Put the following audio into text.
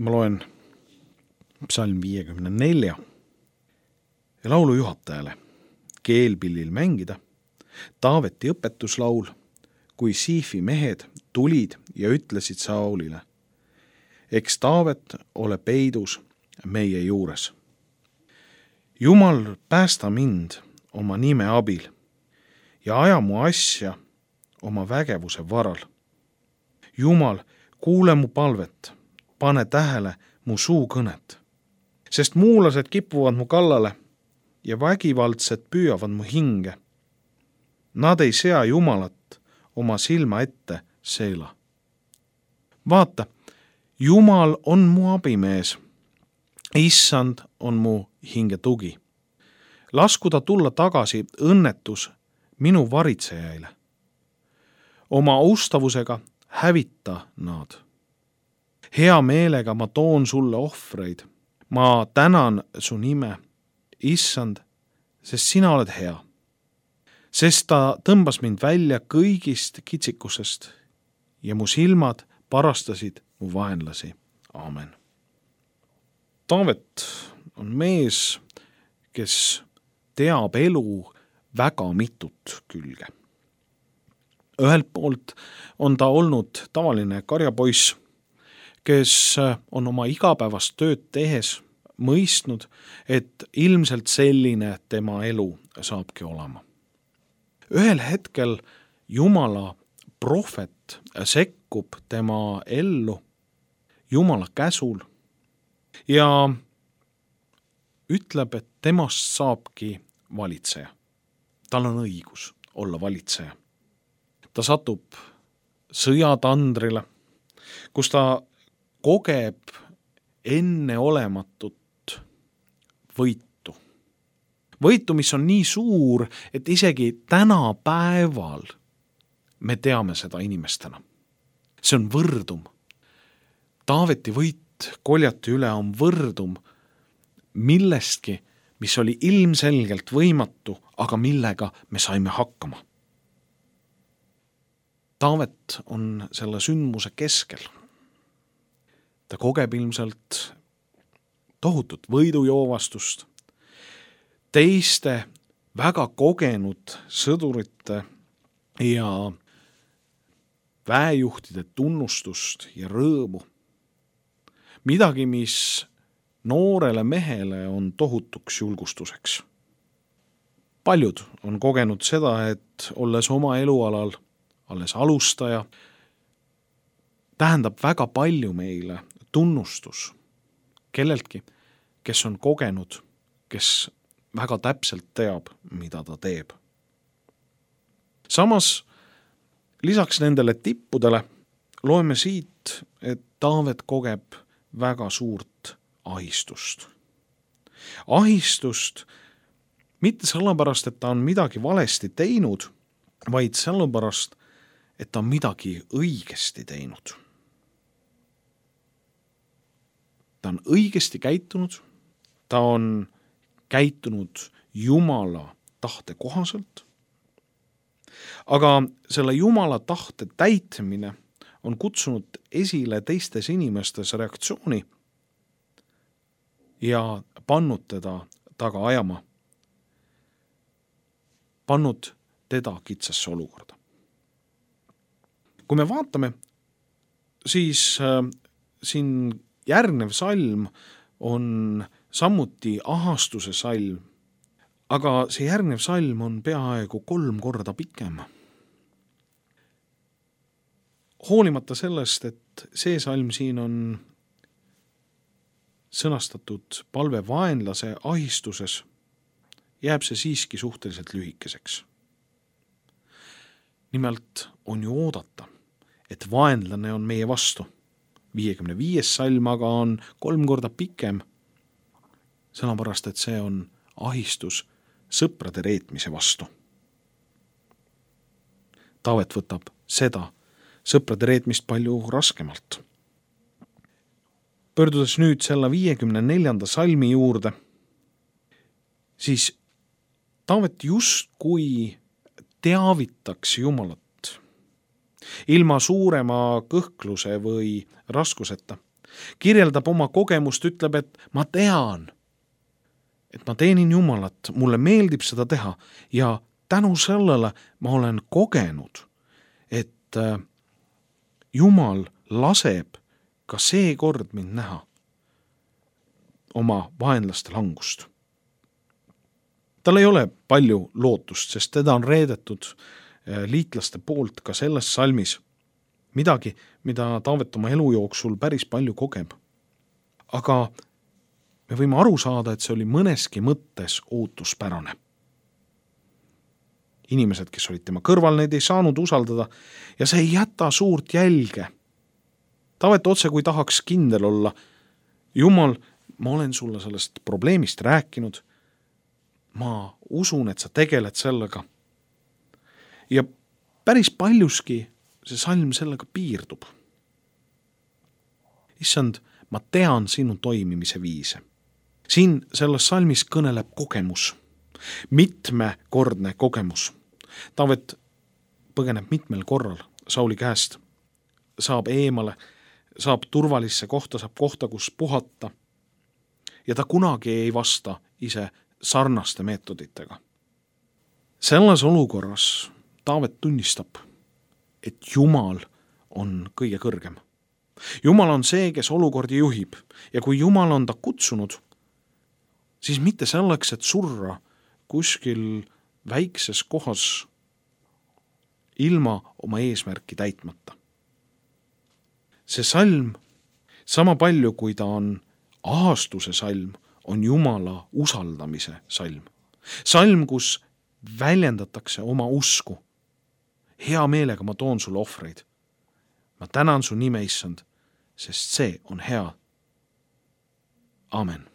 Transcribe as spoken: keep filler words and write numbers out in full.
Ma loen psalm viiekümne nelja ja laulu juhatajale keelpillil mängida Taaveti õpetuslaul, kui Siifi mehed tulid ja ütlesid Saulile: eks Taavet ole peidus meie juures. Jumal, päästa mind oma nime abil ja aja mu asja oma vägevuse varal. Jumal, kuule mu palvet, pane tähele mu suu kõnet, sest muulased kipuvad mu kallale ja vägivaldsed püüavad mu hinge. Nad ei sea Jumalat oma silma ette seela. Vaata, Jumal on mu abimees, issand on mu hinge tugi. Lasku ta tulla tagasi õnnetus minu varitsejaile. Oma ustavusega hävita nad. Hea meelega ma toon sulle ohvreid. Ma tänan su nime, issand, sest sina oled hea. Sest ta tõmbas mind välja kõigist kitsikusest ja mu silmad parastasid mu vaenlasi. Aamen. Taavet on mees, kes teab elu väga mitut külge. Ühelt poolt on ta olnud tavaline karjapoiss, kes on oma igapäevast tööd tehes mõistnud, et ilmselt selline tema elu saabki olema. Ühel hetkel Jumala prohvet sekkub tema ellu Jumala käsul ja ütleb, et temast saabki valitseja. Tal on õigus olla valitseja. Ta satub sõjatandrile, kus ta kogeb enneolematut võitu. Võitu, mis on nii suur, et isegi tänapäeval me teame seda inimestena. See on võrdum. Taaveti võit Goljati üle on võrdum millestki, mis oli ilmselgelt võimatu, aga millega me saime hakkama. Taavet on selle sündmuse keskel. Ta kogeb ilmselt tohutut võidujoovastust, teiste väga kogenud sõdurite ja väejuhtide tunnustust ja rõõmu. Midagi, mis noorele mehele on tohutuks julgustuseks. Paljud on kogenud seda, et olles oma elualal alles alustaja, tähendab väga palju meile tunnustus kelleltki, kes on kogenud, kes väga täpselt teab, mida ta teeb. Samas, lisaks nendele tippudele loeme siit, et Taavet kogeb väga suurt ahistust. Ahistust mitte sellepärast, et ta on midagi valesti teinud, vaid sellepärast, et ta on midagi õigesti teinud. Ta on õigesti käitunud, ta on käitunud Jumala tahte kohaselt, aga selle Jumala tahte täitmine on kutsunud esile teistes inimestes reaktsiooni ja pannud teda taga ajama, pannud teda kitsasse olukorda. Kui me vaatame, siis äh, siin järgnev salm on samuti ahastuse salm, aga see järgnev salm on peaaegu kolm korda pikem. Hoolimata sellest, et see salm siin on sõnastatud palve vaenlase ahistuses, jääb see siiski suhteliselt lühikeseks. Nimelt on ju oodata, et vaenlane on meie vastu. viiekümne viies salm aga on kolm korda pikem, sellepärast, et see on ahistus sõprade reetmise vastu. Taavet võtab seda sõprade reetmist palju raskemalt. Pöördudes nüüd selle viiekümne neljanda salmi juurde, siis Taavet justkui teavitaks Jumalat ilma suurema kõhkluse või raskuseta, kirjeldab oma kogemust, ütleb, et ma tean, et ma teenin Jumalat, mulle meeldib seda teha ja tänu sellele ma olen kogenud, et Jumal laseb ka seekord mind näha oma vaenlaste langust. Tal ei ole palju lootust, sest teda on reedetud liitlaste poolt ka selles salmis midagi, mida Taavet oma elu jooksul päris palju kogeb. Aga me võime aru saada, et see oli mõneski mõttes ootuspärane. Inimesed, kes olid tema kõrval, neid ei saanud usaldada ja see ei jäta suurt jälge. Taavet otse kui tahaks kindel olla, Jumal, ma olen sulle sellest probleemist rääkinud, ma usun, et sa tegeled sellega. Ja päris paljuski see salm sellega piirdub. Issand, ma tean sinu toimimise viise. Siin selles salmis kõneleb kogemus, mitmekordne kogemus. Taavet põgeneb mitmel korral Sauli käest, saab eemale, saab turvalisse kohta, saab kohta, kus puhata ja ta kunagi ei vasta ise sarnaste meetoditega. Selles olukorras Taavet tunnistab, et Jumal on kõige kõrgem. Jumal on see, kes olukordi juhib ja kui Jumal on ta kutsunud, siis mitte selleks, et surra kuskil väikses kohas ilma oma eesmärki täitmata. See salm, sama palju kui ta on ahastuse salm, on Jumala usaldamise salm. Salm, kus väljendatakse oma usku. Hea meelega ma toon sulle ohvreid. Ma tänan su nime, Issand, sest see on hea. Amen.